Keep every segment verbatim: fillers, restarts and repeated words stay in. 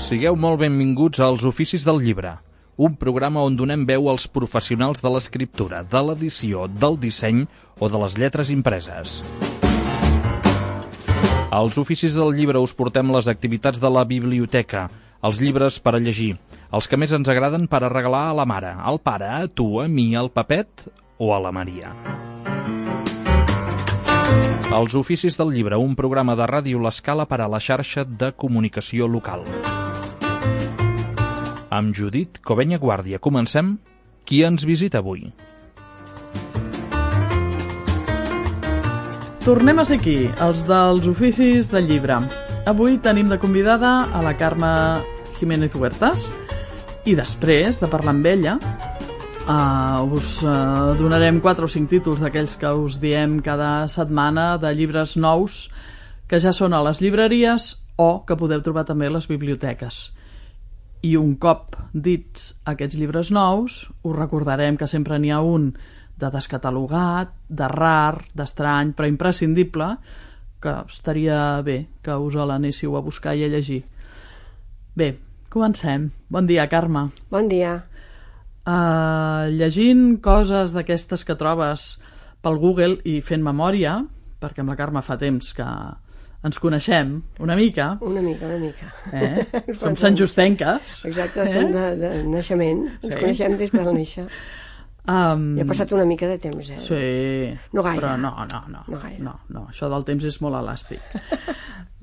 Sigueu molt benvinguts als Oficis del Llibre, un programa on donem veu als professionals de l'escriptura, de l'edició, del disseny o de les lletres impreses. Als Oficis del Llibre us portem les activitats de la biblioteca, els llibres per a llegir, els que més ens agraden per a regalar a la mare, al pare, a tu, a mi, al Pepet o a la Maria. Els Oficis del Llibre, un programa de Ràdio L'Escala per a la xarxa de comunicació local. Amb Judit Covenya Guàrdia. Comencem. Qui ens visita avui? Tornem a ser aquí, els dels Oficis del Llibre. Avui tenim de convidada a la Carme Jiménez Huertas i després de parlar amb ella uh, us uh, donarem quatre o cinc títols d'aquells que us diem cada setmana de llibres nous que ja són a les llibreries o que podeu trobar també a les biblioteques. I un cop dits aquests llibres nous, us recordarem que sempre n'hi ha un de descatalogat, de rar, d'estrany, però imprescindible, que estaria bé que us l'anéssiu a buscar i a llegir. Bé, comencem. Bon dia, Carme. Bon dia. Uh, llegint coses d'aquestes que trobes pel Google i fent memòria, perquè amb la Carme fa temps que ens coneixem una mica. Una mica, una mica. Eh? Som santjustenques. Exacte, eh? Som de, de naixement. Ens sí. Coneixem des del néixer. Um, I ha passat una mica de temps, eh? Sí. No gaire. Però no, no, no. No gaire. No, no. Això del temps és molt elàstic.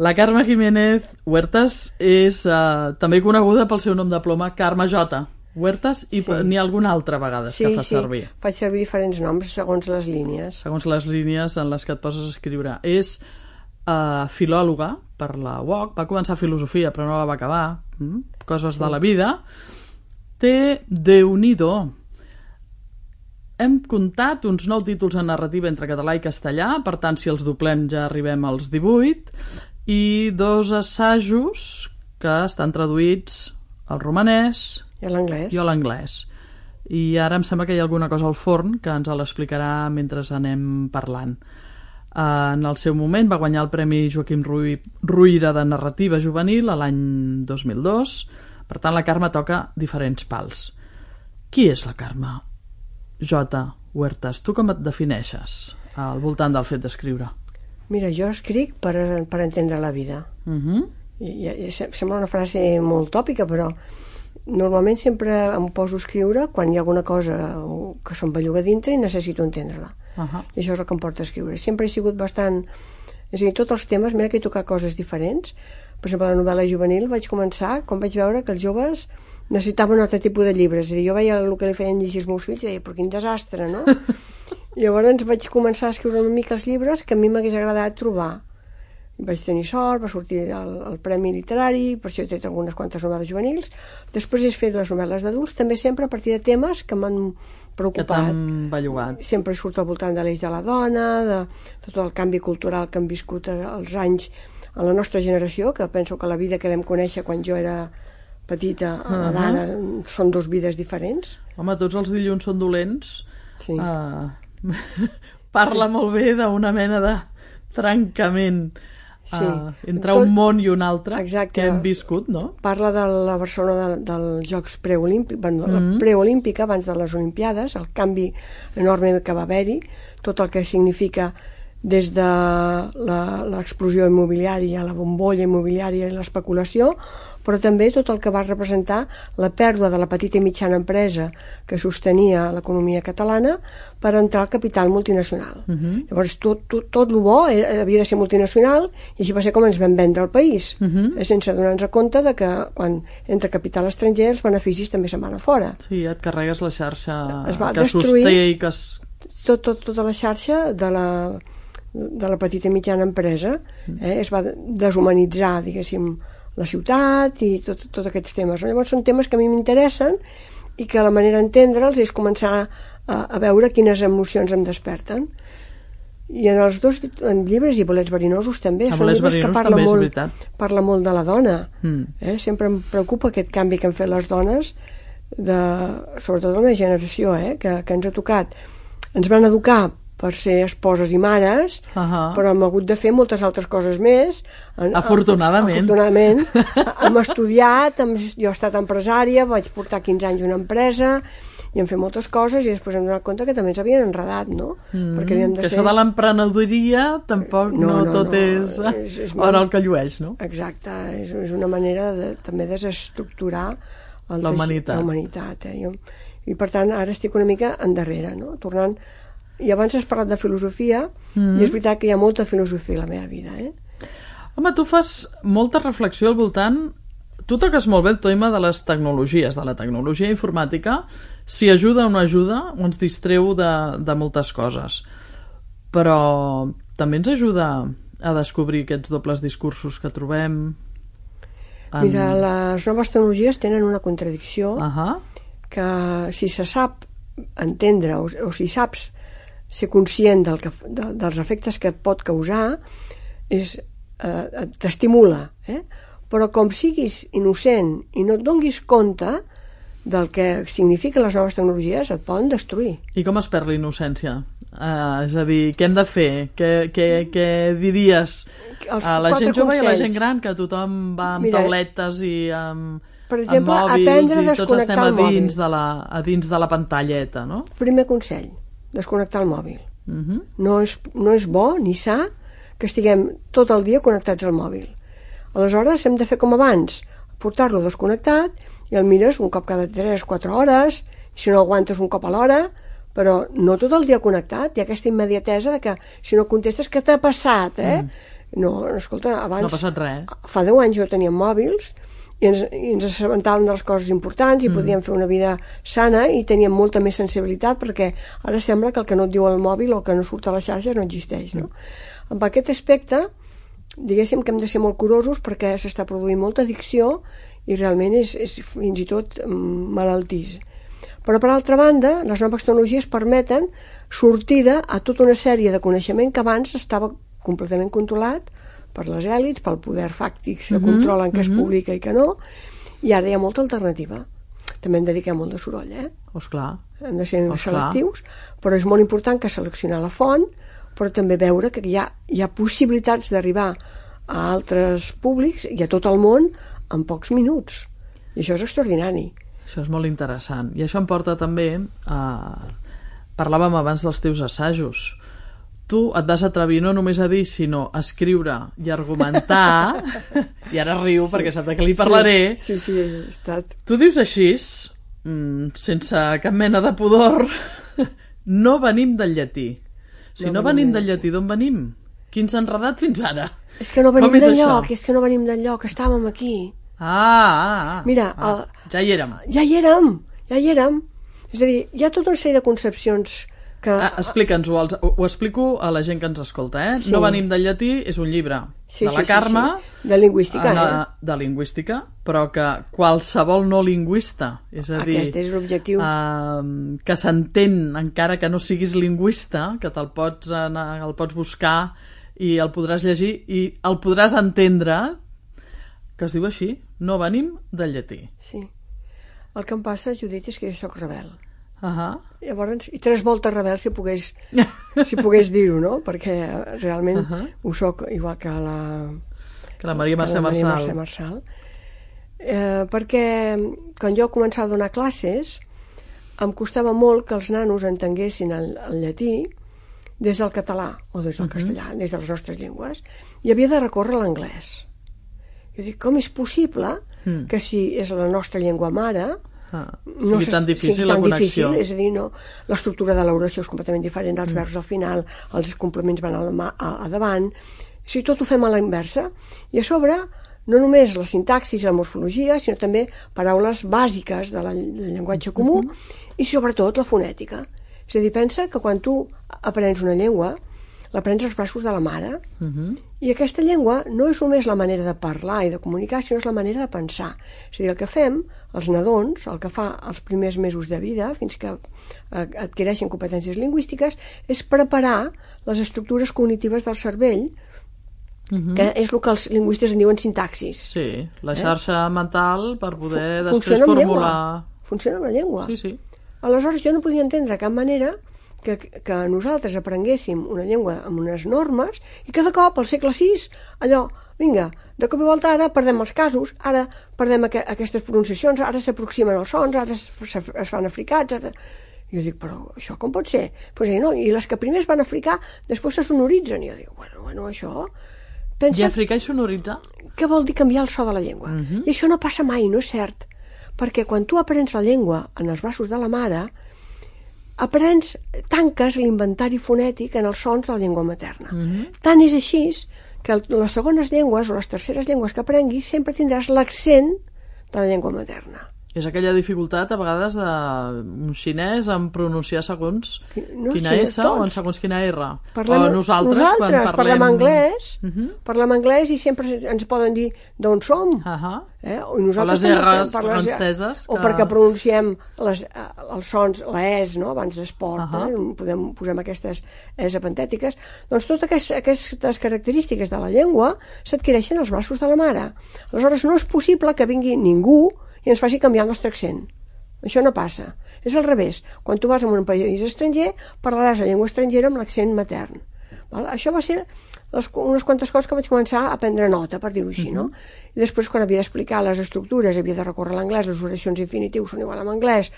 La Carme Jiménez Huertas és uh, també coneguda pel seu nom de ploma Carme J. Huertas i sí. N'hi ha alguna altra vegada sí, que fa sí. servir. Faig servir diferents noms segons les línies. Segons les línies en les que et poses a escriure. És uh, filòloga per la U O C, va començar filosofia però no la va acabar, mm? Coses sí. de la vida. Té Déu-n'hi-do. Hem comptat uns nou títols en narrativa entre català i castellà, per tant, si els doblem ja arribem als divuit, i dos assajos que estan traduïts al romanès i a l'anglès. I a l'anglès. I ara em sembla que hi ha alguna cosa al forn que ens l'explicarà mentre anem parlant. En el seu moment va guanyar el Premi Joaquim Ruyra de Narrativa Juvenil a l'any dos mil dos. Per tant, la Carme toca diferents pals. Qui és la Carme J. Huertas? Tu com et defineixes al voltant del fet d'escriure? Mira, jo escric per, per entendre la vida. Uh-huh. I, i, sembla una frase molt tòpica, però normalment sempre em poso a escriure quan hi ha alguna cosa que se'm belluga dintre i necessito entendre-la. Uh-huh. I això és el que em porta a escriure. Sempre he sigut bastant... És a dir, tots els temes, mira que he tocat coses diferents. Per exemple, la novel·la juvenil vaig començar quan vaig veure que els joves necessitaven un altre tipus de llibres. És a dir, jo veia el que li feien llegir els meus fills i deia, però quin desastre, no? I llavors vaig començar a escriure una mica els llibres que a mi m'hagués agradat trobar. Vaig tenir sort, va sortir el, el Premi Literari, per això he tret algunes quantes novel·les juvenils. Després he fet les novel·les d'adults, també sempre a partir de temes que m'han preocupat. Que t'han bellugat. Sempre surt al voltant de l'eix de la dona, de, de tot el canvi cultural que han viscut els anys a la nostra generació, que penso que la vida que vam conèixer quan jo era petita a la d'ara uh-huh. són dos vides diferents. Home, tots els dilluns són dolents. Sí. Uh, parla sí. molt bé d'una mena de trencament sí. uh, entre Tot, un món i un altre exacte. Que hem viscut, no? Parla de la Barcelona de, dels Jocs preolímpics, bueno, mm-hmm. la preolímpica abans de les Olimpiades, el canvi enorme que va haver-hi, tot el que significa des de l'explosió immobiliària, la bombolla immobiliària i l'especulació, però també tot el que va representar la pèrdua de la petita i mitjana empresa que sostenia l'economia catalana per entrar al capital multinacional. Uh-huh. Llavors tot, tot, tot el bo era, havia de ser multinacional i així va ser com ens vam vendre el país, uh-huh. sense donar-nos compte de que quan entra capital estranger els beneficis també se'n van a fora. Sí, et carregues la xarxa que sosté i que es... Tot, tot, tota la xarxa de la, de la petita i mitjana empresa eh, es va deshumanitzar, diguéssim, la ciutat i tot, tot aquests temes. Llavors són temes que a mi m'interessen i que la manera d'entendre'ls és començar a, a veure quines emocions em desperten. I en els dos en llibres i Bolets verinosos també a són llibres que parla molt, parla molt de la dona. Mm. Eh? Sempre em preocupa aquest canvi que han fet les dones, de, sobretot la meva generació, eh? que, que ens ha tocat. Ens van educar per ser esposes i mares, uh-huh. però hem hagut de fer moltes altres coses més. Afortunadament. Afortunadament. Hem estudiat, hem, jo he estat empresària, vaig portar quinze anys una empresa, i hem fet moltes coses i després hem donat compte que també ens havien enredat, no? Mm, Perquè havíem de que ser... això de l'emprenedoria tampoc no, no, no tot no. és, és, és hora el que llueix, no? Exacte, és, és una manera de també desestructurar el la humanitat. La humanitat eh? I, I per tant ara estic una mica endarrere, no? Tornant... I abans has parlat de filosofia mm. i és veritat que hi ha molta filosofia a la meva vida, eh? Home, tu fas molta reflexió al voltant... Tu toques molt bé el tema de les tecnologies, de la tecnologia informàtica, si ajuda o no ajuda, o ens distreu de, de moltes coses. Però també ens ajuda a descobrir aquests dobles discursos que trobem. En... Mira, les noves tecnologies tenen una contradicció uh-huh. que si se sap entendre o, o si saps ser conscient del que, de, dels efectes que pot causar, és, eh, t'estimula, eh? Però com siguis innocent i no et donguis compte del que signifiquen les noves tecnologies, et poden destruir. I com es perd la innocència? Uh, és a dir, què hem de fer? Què, què, què diries a la gent jove i a la gent gran, que tothom va amb Mira, tauletes i amb, per exemple, amb mòbils aprendre a i tots estem a dins, de la, a dins de la pantalleta, no? Primer consell, desconnectar el mòbil. Uh-huh. No és, no és bo ni sa que estiguem tot el dia connectats al mòbil. Aleshores hem de fer com abans, portar-lo desconnectat i el mires un cop cada tres o quatre hores, si no aguantes un cop a l'hora, però no tot el dia connectat. Hi ha aquesta immediatesa de que si no contestes, què t'ha passat, eh? Mm. No, escolta, abans... No ha passat res. Fa deu anys jo tenia mòbils i ens, i ens assabentàvem de les coses importants i mm. podíem fer una vida sana i teníem molta més sensibilitat, perquè ara sembla que el que no et diu el mòbil o el que no surt a les xarxes no existeix, no? Mm. Amb aquest aspecte... diguéssim que hem de ser molt curosos perquè s'està produint molta addicció i realment és, és fins i tot malaltís. Però per altra banda, les noves tecnologies permeten sortida a tota una sèrie de coneixement que abans estava completament controlat per les èlits, pel poder fàctic que mm-hmm, controlen que mm-hmm. es publica i que no, i ara hi ha molta alternativa. També en dediquem molt de soroll, eh? Oh, esclar. Hem de ser oh, selectius, però és molt important que seleccionar la font, però també veure que hi ha, hi ha possibilitats d'arribar a altres públics i a tot el món en pocs minuts. I això és extraordinari. Això és molt interessant. I això em porta també a... Parlàvem abans dels teus assajos. Tu et vas atrevir no només a dir, sinó a escriure i argumentar, i ara riu sí, perquè sap de què li parlaré. Sí, sí, sí, he estat... Tu dius així, sense cap mena de pudor, no venim del llatí. Si no, no venim del llatí, d'on venim? Qui ens ha enredat fins ara? És que no venim d'enlloc, és que no venim d'enlloc, estàvem aquí. Ah, ah, ah. Mira, ah, el... ja hi érem. Ja hi érem, ja hi érem. És a dir, hi ha tota una sèrie de concepcions que... Ah, explica'ns-ho, ho, ho explico a la gent que ens escolta, eh? Sí. No venim del llatí, és un llibre sí, de la sí, Carme... Sí, sí. De lingüística, de, eh? De lingüística, però que qualsevol no lingüista, és a dir... Aquest és l'objectiu. Uh, que s'entén, encara que no siguis lingüista, que te'l pots, anar, el pots buscar i el podràs llegir i el podràs entendre, que es diu així, no venim del llatí. Sí. El que em passa, Judit, és que jo soc rebel. Uh-huh. Llavors, i tres voltes rebel si pogués, si pogués dir-ho, no? Perquè realment uh-huh. ho soc igual que la, que la Maria Mercè Marçal. Mercè Marçal. Eh, perquè quan jo començava a donar classes em costava molt que els nanos entenguessin el, el llatí des del català o des del uh-huh. castellà, des de les nostres llengües, i havia de recórrer a l'anglès. Jo dic, com és possible mm. que si és la nostra llengua mare ah, no sigui tan difícil sigui la tan connexió. Difícil, és a dir, no, l'estructura de l'oració és completament diferent, els mm. verbs al final, els complements van a, la, a, a davant, si tot ho fem a la inversa, i a sobre no només la sintaxis i la morfologia, sinó també paraules bàsiques de la, del llenguatge comú mm-hmm. i sobretot la fonètica. És a dir, pensa que quan tu aprens una llengua l'aprens als braços de la mare uh-huh. i aquesta llengua no és només la manera de parlar i de comunicar, sinó és la manera de pensar. És a dir, el que fem, els nadons, el que fa els primers mesos de vida, fins que adquireixen competències lingüístiques, és preparar les estructures cognitives del cervell, uh-huh. que és el que els lingüistes en diuen sintaxis. Sí, la xarxa eh? mental per poder Fu- després formular... Funciona amb la llengua. Sí, sí. Aleshores jo no podia entendre de cap manera que, que nosaltres aprenguéssim una llengua amb unes normes i cada cop, al segle sis, allò, vinga, de cop i volta ara perdem els casos, ara perdem aqu aquestes pronunciacions, ara s'aproximen els sons, ara es, es fan africats, ara... I jo dic, però això com pot ser? Pues, eh, no, i les que primer es van africar, després se sonoritzen. I jo dic, bueno, bueno, això... Pensa... I africar i sonoritzar? Què vol dir canviar el so de la llengua? Uh -huh. I això no passa mai, no és cert. Perquè quan tu aprens la llengua en els braços de la mare, aprens, tanques l'inventari fonètic en els sons de la llengua materna. Uh -huh. Tant és així que les segones llengües o les terceres llengües que aprenguis sempre tindràs l'accent de la llengua materna. És aquella dificultat, a vegades, d'un xinès en pronunciar segons no, quina sí, S o en segons quina R. Parlem, o nosaltres, nosaltres quan parlem... parlem anglès, uh -huh. parlem anglès i sempre ens poden dir d'on som. Uh -huh. eh? O, nosaltres o les R's fem, franceses. O que... perquè pronunciem les, els sons, la es, no? Abans d'esport, uh -huh. eh? Podem, posem aquestes es apentètiques. Doncs totes aquestes, aquestes característiques de la llengua s'adquireixen als braços de la mare. Aleshores no és possible que vingui ningú i ens faci canviar el nostre accent. Això no passa. És al revés. Quan tu vas a un país estranger, parlaràs la llengua estrangera amb l'accent matern. Val? Això va ser les, unes quantes coses que vaig començar a prendre nota, per dir-ho així, no? I després, quan havia d'explicar les estructures, havia de recórrer l'anglès, les oracions infinitius són igual en anglès,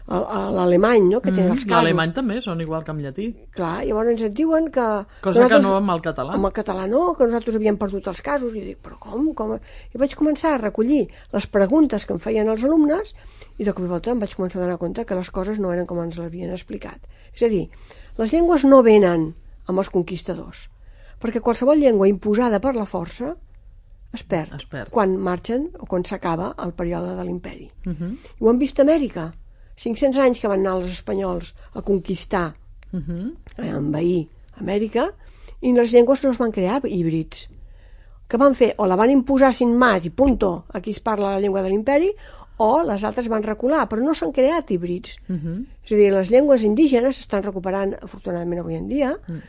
l'alemany, no?, que tenen els casos. L'alemany també són igual que en llatí. Clar, llavors et diuen que... Cosa que no amb el català. Amb el català no, que nosaltres havíem perdut els casos. I dic, però com? com? I vaig començar a recollir les preguntes que em feien els alumnes i de cop i volta em vaig començar a donar compte que les coses no eren com ens l'havien explicat. És a dir, les llengües no venen amb els conquistadors, perquè qualsevol llengua imposada per la força es perd, es perd. quan marxen o quan s'acaba el període de l'imperi. Uh -huh. I ho hem vist a Amèrica. cinc-cents anys que van anar els espanyols a conquistar, uh -huh. a envair Amèrica, i les llengües no es van crear híbrids. Que van fer? O la van imposar sin más i punto, aquí es parla la llengua de l'imperi, o les altres van recular, però no s'han creat híbrids. Uh -huh. És a dir, les llengües indígenes s'estan recuperant, afortunadament, avui en dia, uh -huh.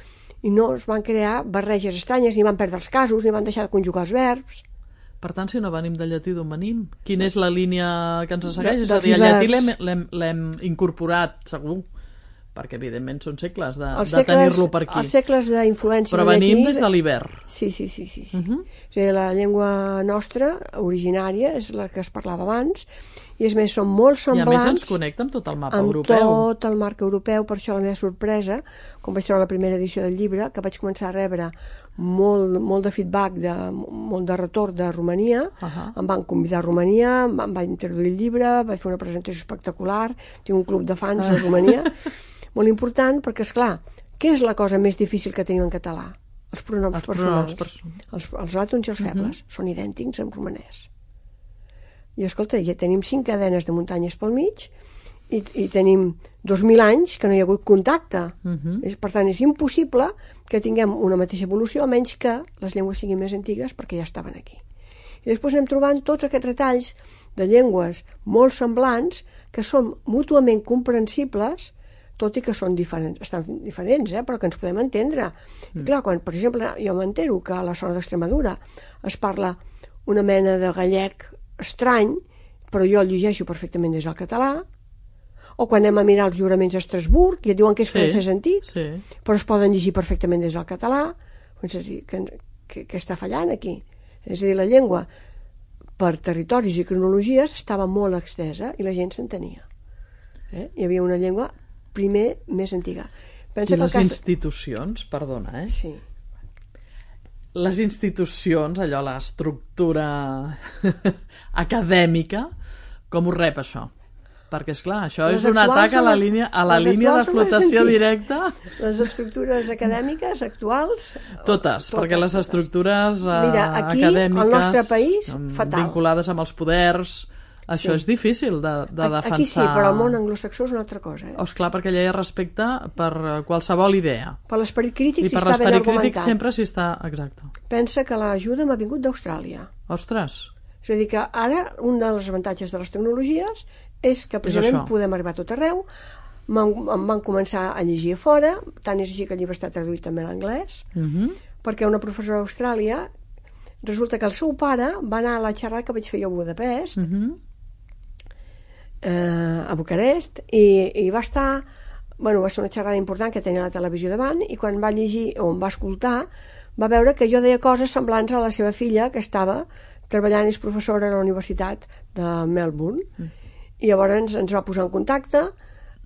i no es van crear barreges estranyes, ni van perdre els casos, ni van deixar de conjugar els verbs. Per tant, si no venim del llatí, d'on venim? Quina és la línia que ens segueix? De, és a dir, el llatí l'hem incorporat, segur, perquè evidentment són segles de, de tenir-lo per aquí. Els segles d'influència però venim des de l'hivern. Sí, sí, sí. sí, sí. Uh -huh. És a dir, la llengua nostra, originària, és la que es parlava abans, i és més, són molt semblants... I a més ens connecta amb tot el mapa amb europeu. Amb tot el marc europeu, per això la meva sorpresa, quan vaig treure la primera edició del llibre, que vaig començar a rebre molt, molt de feedback, de, molt de retorn de Romania, uh -huh. em van convidar a Romania, em van introduir el llibre, vaig fer una presentació espectacular, tinc un club de fans uh -huh. a Romania, molt important, perquè, és clar, què és la cosa més difícil que tenim en català? Els pronoms els personals. Pronoms els, els àtons i els febles uh -huh. són idèntics en romanès. I escolta, ja tenim cinc cadenes de muntanyes pel mig i, i tenim dos mil anys que no hi ha hagut contacte. Uh -huh. Per tant, és impossible que tinguem una mateixa evolució, a menys que les llengües siguin més antigues, perquè ja estaven aquí. I després anem trobant tots aquests retalls de llengües molt semblants que són mútuament comprensibles, tot i que són diferents, estan diferents, eh, però que ens podem entendre. Mm. I clar, quan, per exemple, jo m'entero que a la zona d'Extremadura es parla una mena de gallec estrany, però jo el llegeixo perfectament des del català, o quan anem a mirar els juraments a Estrasburg i et diuen que és francès sí, antic, sí. però es poden llegir perfectament des del català. És a dir, que, que, que està fallant aquí? És a dir, la llengua per territoris i cronologies estava molt extesa i la gent s'entenia. Eh? Hi havia una llengua primer més antiga. Pensa I les cas... institucions, perdona, eh? Sí. Les institucions, allò, l'estructura acadèmica, com ho rep això? Perquè, esclar, això les és un atac a la les, línia, a la línia de flotació directa. Les estructures acadèmiques actuals... Totes, totes perquè les totes. estructures Mira, aquí, acadèmiques... al nostre país, fatal. Vinculades amb els poders... Això sí. És difícil de, de defensar. Aquí sí, però el món anglosaxó és una altra cosa. Eh? Oh, esclar, perquè allà hi ha respecte per qualsevol idea. Per l'esperit crític I s'hi per està ben argumentat. l'esperit crític sempre s'hi està... Exacte. Pensa que l'ajuda m'ha vingut d'Austràlia. Ostres! És a dir, que ara un dels avantatges de les tecnologies és que precisament és podem arribar a tot arreu. Em van començar a llegir a fora, tant és així que el llibre està traduït també a l'anglès, uh -huh. perquè una professora d'Austràlia, resulta que el seu pare va anar a la xerrada que vaig fer jo a Budapest, uh -huh. eh, a Bucarest, i, i va estar bueno, va ser una xerrada important que tenia la televisió davant, i quan va llegir o em va escoltar va veure que jo deia coses semblants a la seva filla, que estava treballant, és professora a la Universitat de Melbourne, mm. i llavors ens, ens va posar en contacte.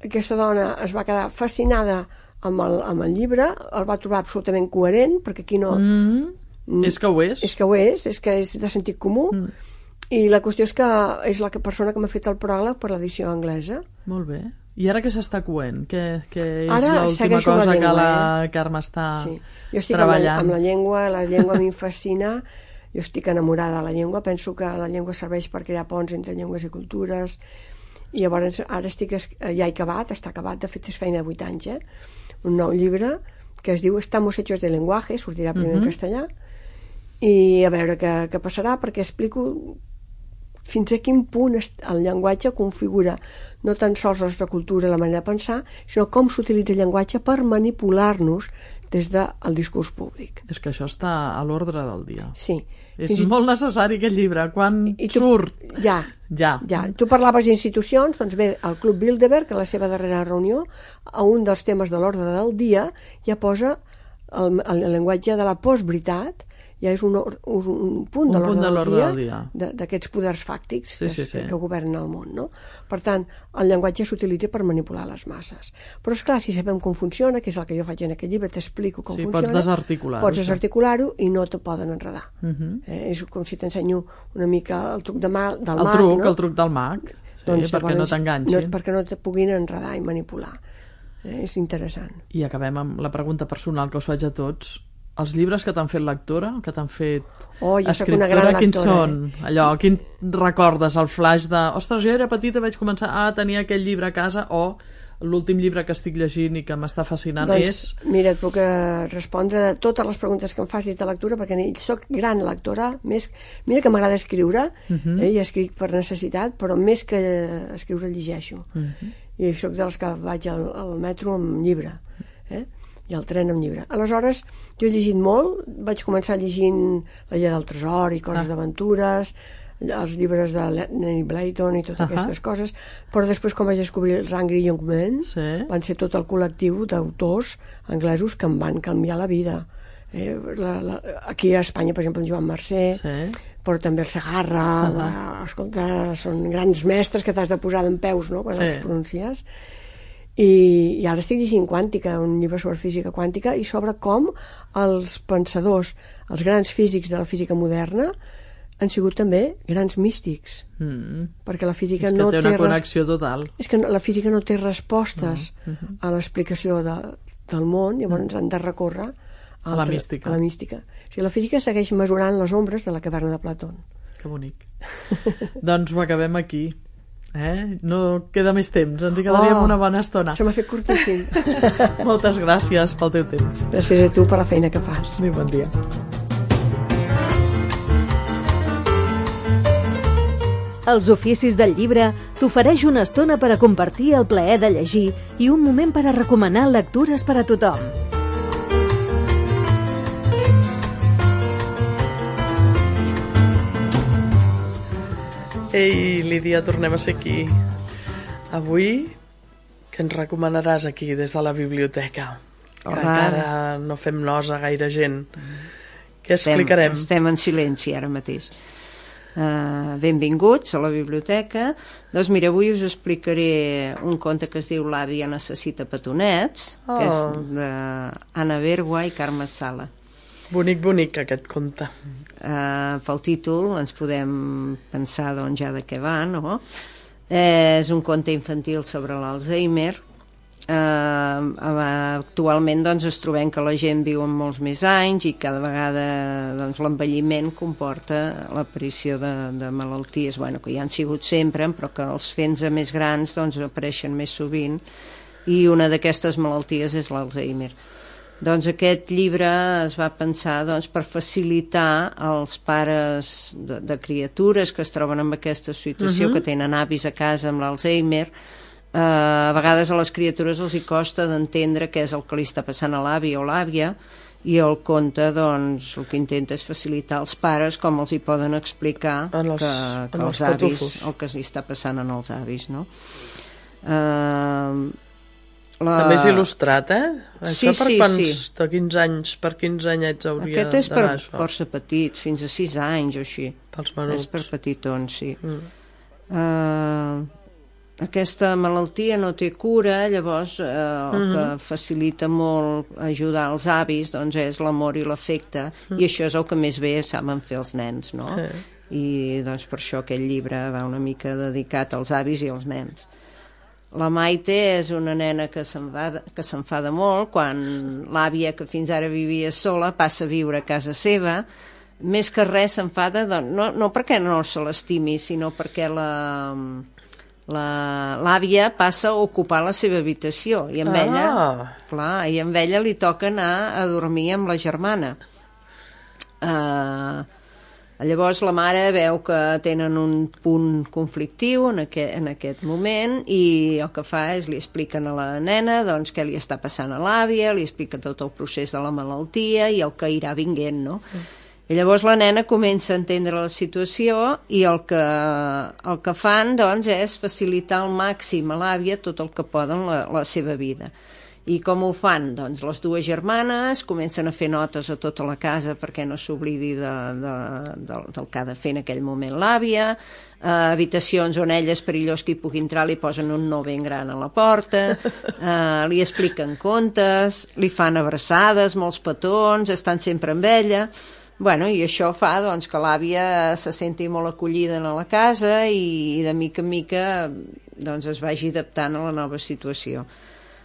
Aquesta dona es va quedar fascinada amb el, amb el llibre, el va trobar absolutament coherent, perquè aquí no... Mm. Mm, és que ho és. És que ho és, és que és de sentit comú. Mm. I la qüestió és que és la persona que m'ha fet el pròleg per l'edició anglesa. Molt bé. I ara què s'està coent? Què, què és ara l'última cosa la llengua, que la eh? Carme està sí. Jo estic treballant? Amb la, amb la llengua, la llengua a mi em fascina, jo estic enamorada de la llengua, penso que la llengua serveix per crear ponts entre llengües i cultures, i llavors ara estic, ja he acabat, està acabat, de fet és feina de vuit anys, eh? Un nou llibre que es diu Estamos hechos de lenguaje, sortirà primer uh-huh. en castellà, i a veure què, què passarà, perquè explico fins a quin punt el llenguatge configura no tan sols la nostra cultura, la manera de pensar, sinó com s'utilitza el llenguatge per manipular-nos des del discurs públic. És que això està a l'ordre del dia. Sí. És fins molt necessari aquest llibre. Quan I tu, surt? Ja, ja. ja. Tu parlaves d'institucions, doncs bé, el Club Bilderberg, a la seva darrera reunió, a un dels temes de l'ordre del dia, ja posa el, el llenguatge de la postveritat, ja és un, un, un punt de l'ordre del, del dia d'aquests poders fàctics sí, sí, sí. que, que governen el món, no? Per tant, el llenguatge s'utilitza per manipular les masses. Però és clar, si sabem com funciona, que és el que jo faig en aquest llibre, t'explico com sí, funciona, pots desarticular-ho, pots desarticular-ho i no te poden enredar. Uh-huh. eh, és com si t'ensenyo una mica el truc de ma, del el mag, truc, no? El truc del mag, sí, doncs, perquè llavors, no t'enganxin. No, perquè no te puguin enredar i manipular. Eh, és interessant. I acabem amb la pregunta personal que us faig a tots. Els llibres que t'han fet lectora, que t'han fet oh, escriptora, quins són? Eh? Allò, quin recordes el flash de ostres, jo era petita, vaig començar a tenir aquell llibre a casa, o l'últim llibre que estic llegint i que m'està fascinant doncs, és... Mira, et puc respondre de totes les preguntes que em facis de lectura, perquè soc gran lectora, més... mira que m'agrada escriure, uh-huh. eh, i escric per necessitat, però més que escriure llegeixo. Uh-huh. I soc de les que vaig al, al metro amb llibre, eh? I al tren amb llibre. Aleshores, jo he llegit molt, vaig començar llegint La Llar del Tresor i coses ah. d'aventures, els llibres de Lenny Blayton i totes uh-huh. aquestes coses, però després quan vaig descobrir els Angry Young Men, sí. van ser tot el col·lectiu d'autors anglesos que em van canviar la vida. Eh, la, la, aquí a Espanya, per exemple, en Joan Mercè, sí. però també el Segarra, uh-huh. va, escolta, són grans mestres que t'has de posar d'empeus, no?, quan sí. els pronuncies. I, i ara estic llegint Quàntica, un llibre sobre física quàntica, i sobre com els pensadors, els grans físics de la física moderna han sigut també grans místics, mm. perquè la física és que no té una té connexió total. És que la física no té respostes no. uh-huh. a l'explicació de, del món, llavors mm. han de recórrer a, a la mística. A la mística. O sigui, la física segueix mesurant les ombres de la caverna de Plató. Que bonic. Doncs ho acabem aquí. Eh? No queda més temps, ens hi quedaríem oh, una bona estona. Se m'ha fet curtíssim. Moltes gràcies pel teu temps. Gràcies a tu per la feina que fas. I bon dia. Els oficis del llibre t'ofereix una estona per a compartir el plaer de llegir i un moment per a recomanar lectures per a tothom. Ei, Lídia, tornem a ser aquí. Avui, què ens recomanaràs aquí, des de la biblioteca? Que encara no fem nosa gaire gent. Què explicarem? Estem, estem en silenci ara mateix. Uh, benvinguts a la biblioteca. Doncs mira, avui us explicaré un conte que es diu L'àvia necessita petonets, oh. que és d'Anna Bergua i Carme Sala. Bonic, bonic, aquest conte. Uh, pel títol ens podem pensar doncs, ja de què va, no? Eh, és un conte infantil sobre l'Alzheimer. Uh, actualment doncs, es trobem que la gent viu amb molts més anys i cada vegada doncs, l'envelliment comporta l'aparició de, de malalties bueno, que ja han sigut sempre, però que els fent més grans doncs, apareixen més sovint, i una d'aquestes malalties és l'Alzheimer. Doncs aquest llibre es va pensar doncs, per facilitar als pares de, de criatures que es troben en aquesta situació, uh-huh. que tenen avis a casa amb l'Alzheimer. Uh, a vegades a les criatures els hi costa d'entendre què és el que li està passant a l'avi o l'àvia, i el conte doncs, el que intenta és facilitar als pares com els hi poden explicar en els, que, que en els, els avis, el que li està passant en els avis, no? Uh, La... També és il·lustrat, eh? Això Sí, per sí, quants, sí. de quins anys, per quins anyets hauria Aquest és per d'anar això? força petits, fins a sis anys o així. Pels menuts. És per petitons, sí. Mm. Uh, aquesta malaltia no té cura, llavors uh, el Mm-hmm. que facilita molt ajudar els avis doncs és l'amor i l'afecte, Mm. i això és el que més bé saben fer els nens, no? Sí. I doncs per això aquest llibre va una mica dedicat als avis i als nens. La Maite és una nena que s'enfada que s'enfada molt quan l'àvia, que fins ara vivia sola, passa a viure a casa seva. Més que res s'enfada, doncs, no, no perquè no se l'estimi, sinó perquè la la- l'àvia passa a ocupar la seva habitació i amb Ah. ella, clar, i amb ella li toca anar a dormir amb la germana. Uh, Llavors la mare veu que tenen un punt conflictiu en aquest, en aquest moment, i el que fa és li expliquen a la nena doncs, què li està passant a l'àvia, li explica tot el procés de la malaltia i el que irà vinguent, no? Mm. I llavors la nena comença a entendre la situació i el que, el que fan doncs, és facilitar al màxim a l'àvia tot el que poden la, la seva vida. I com ho fan? Doncs les dues germanes comencen a fer notes a tota la casa perquè no s'oblidi de, de, de, del que ha de fer en aquell moment l'àvia, eh, habitacions on ella és perillós que hi pugui entrar, li posen un no ben gran a la porta, eh, li expliquen contes, li fan abraçades, molts petons, estan sempre amb ella. Bueno, i això fa doncs, que l'àvia se senti molt acollida en la casa i, i de mica en mica doncs, es vagi adaptant a la nova situació.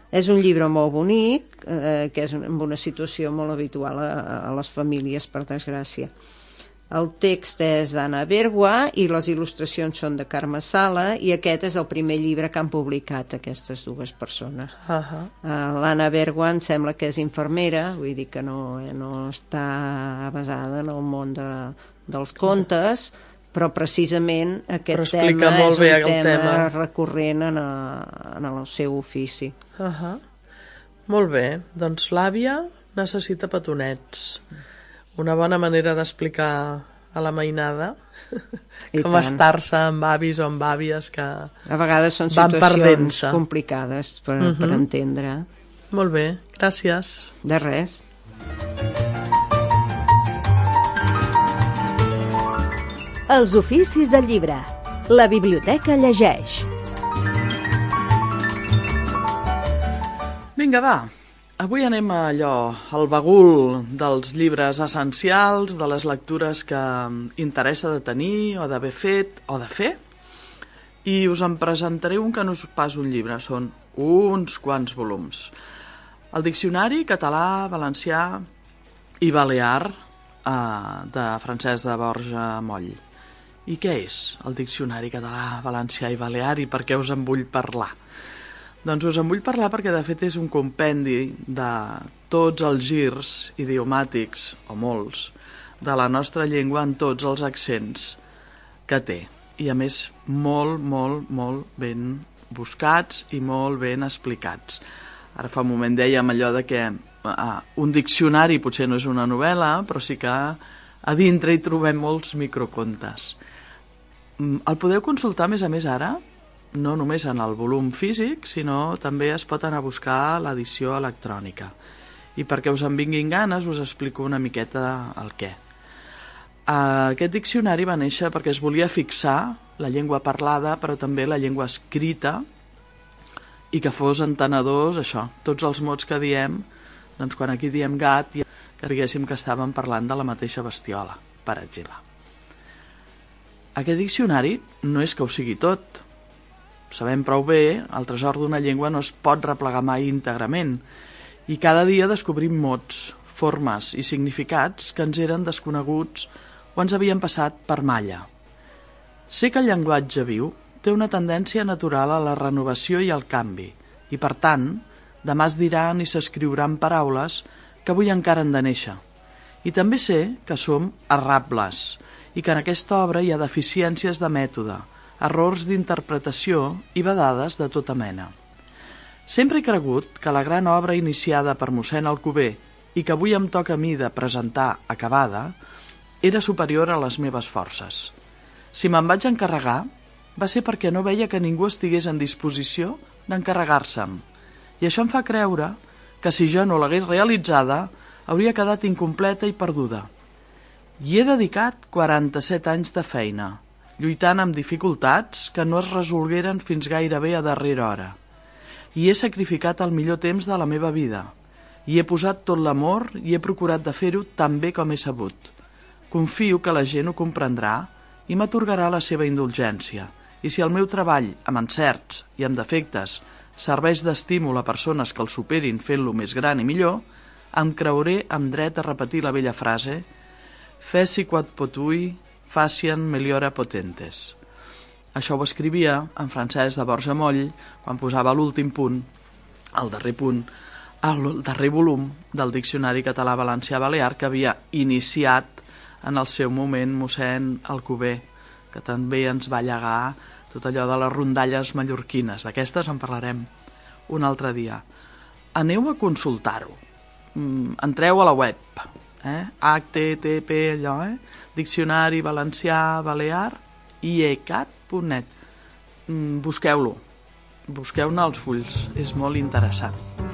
És un llibre molt bonic, eh, que és en una situació molt habitual a, a les famílies, per desgràcia. El text és d'Anna Bergua i les il·lustracions són de Carme Sala, i aquest és el primer llibre que han publicat aquestes dues persones. Uh -huh. uh, L'Anna Bergua em sembla que és infermera, vull dir que no, eh, no està basada en el món de, dels contes, però precisament aquest Però explica tema molt és bé un el tema, tema. recurrent en, a, en el seu ofici. Uh -huh. Molt bé, doncs l'àvia necessita petonets. Una bona manera d'explicar a la mainada I com tant. estar-se amb avis o amb àvies que A vegades són van situacions perdent-se. complicades per, Mhm. per entendre. Molt bé, gràcies. De res. Els oficis del llibre. La biblioteca llegeix. Vinga, va. Avui anem a allò, al bagul dels llibres essencials, de les lectures que interessa de tenir o d'haver fet o de fer. I us en presentaré un que no és pas un llibre, són uns quants volums. El Diccionari català, valencià i balear eh, de Francesc de Borja Moll. I què és el Diccionari català, valencià i balear i per què us en vull parlar? Doncs us en vull parlar perquè de fet és un compendi de tots els girs idiomàtics, o molts, de la nostra llengua en tots els accents que té. I a més molt, molt, molt ben buscats i molt ben explicats. Ara fa un moment dèiem allò de que ah, un diccionari potser no és una novel·la, però sí que a dintre hi trobem molts microcontes. El podeu consultar, a més a més, ara, no només en el volum físic, sinó també es pot anar a buscar l'edició electrònica. I perquè us en vinguin ganes, us explico una miqueta el què. Aquest diccionari va néixer perquè es volia fixar la llengua parlada, però també la llengua escrita, i que fos entenedors, això, tots els mots que diem, doncs quan aquí diem gat, ja creguéssim que estàvem parlant de la mateixa bestiola, per exemple. Aquest diccionari no és que ho sigui tot. Sabem prou bé, el tresor d'una llengua no es pot replegar mai íntegrament, i cada dia descobrim mots, formes i significats que ens eren desconeguts o ens havien passat per malla. Sé que el llenguatge viu té una tendència natural a la renovació i al canvi, i per tant, demà es diran i s'escriuran paraules que avui encara han de néixer. I també sé que som errables, i que en aquesta obra hi ha deficiències de mètode, errors d'interpretació i vedades de tota mena. Sempre he cregut que la gran obra iniciada per mossèn Alcover i que avui em toca a mi de presentar acabada era superior a les meves forces. Si me'n vaig encarregar va ser perquè no veia que ningú estigués en disposició d'encarregar-se'm I això em fa creure que si jo no l'hagués realitzada hauria quedat incompleta i perduda. Hi he dedicat quaranta-set anys de feina, lluitant amb dificultats que no es resolgueren fins gairebé a darrera hora. I he sacrificat el millor temps de la meva vida. Hi he posat tot l'amor i he procurat de fer-ho tan bé com he sabut. Confio que la gent ho comprendrà i m'atorgarà la seva indulgència. I si el meu treball, amb encerts i amb defectes, serveix d'estímul a persones que el superin fent-lo més gran i millor, em creuré amb dret a repetir la vella frase «Feci quod potui, facien meliora potentes». Això ho escrivia en Francesc de Borja Moll quan posava l'últim punt, el darrer punt, el darrer volum del Diccionari Català-Valencià-Balear que havia iniciat en el seu moment mossèn Alcover, que també ens va llegar tot allò de les rondalles mallorquines. D'aquestes en parlarem un altre dia. Aneu a consultar-ho. Entreu a la web, eh? H T T P, allò, eh? Diccionari Valencià Balear i e c a t punt net. Busqueu-lo. Busqueu-ne els fulls. És molt interessant.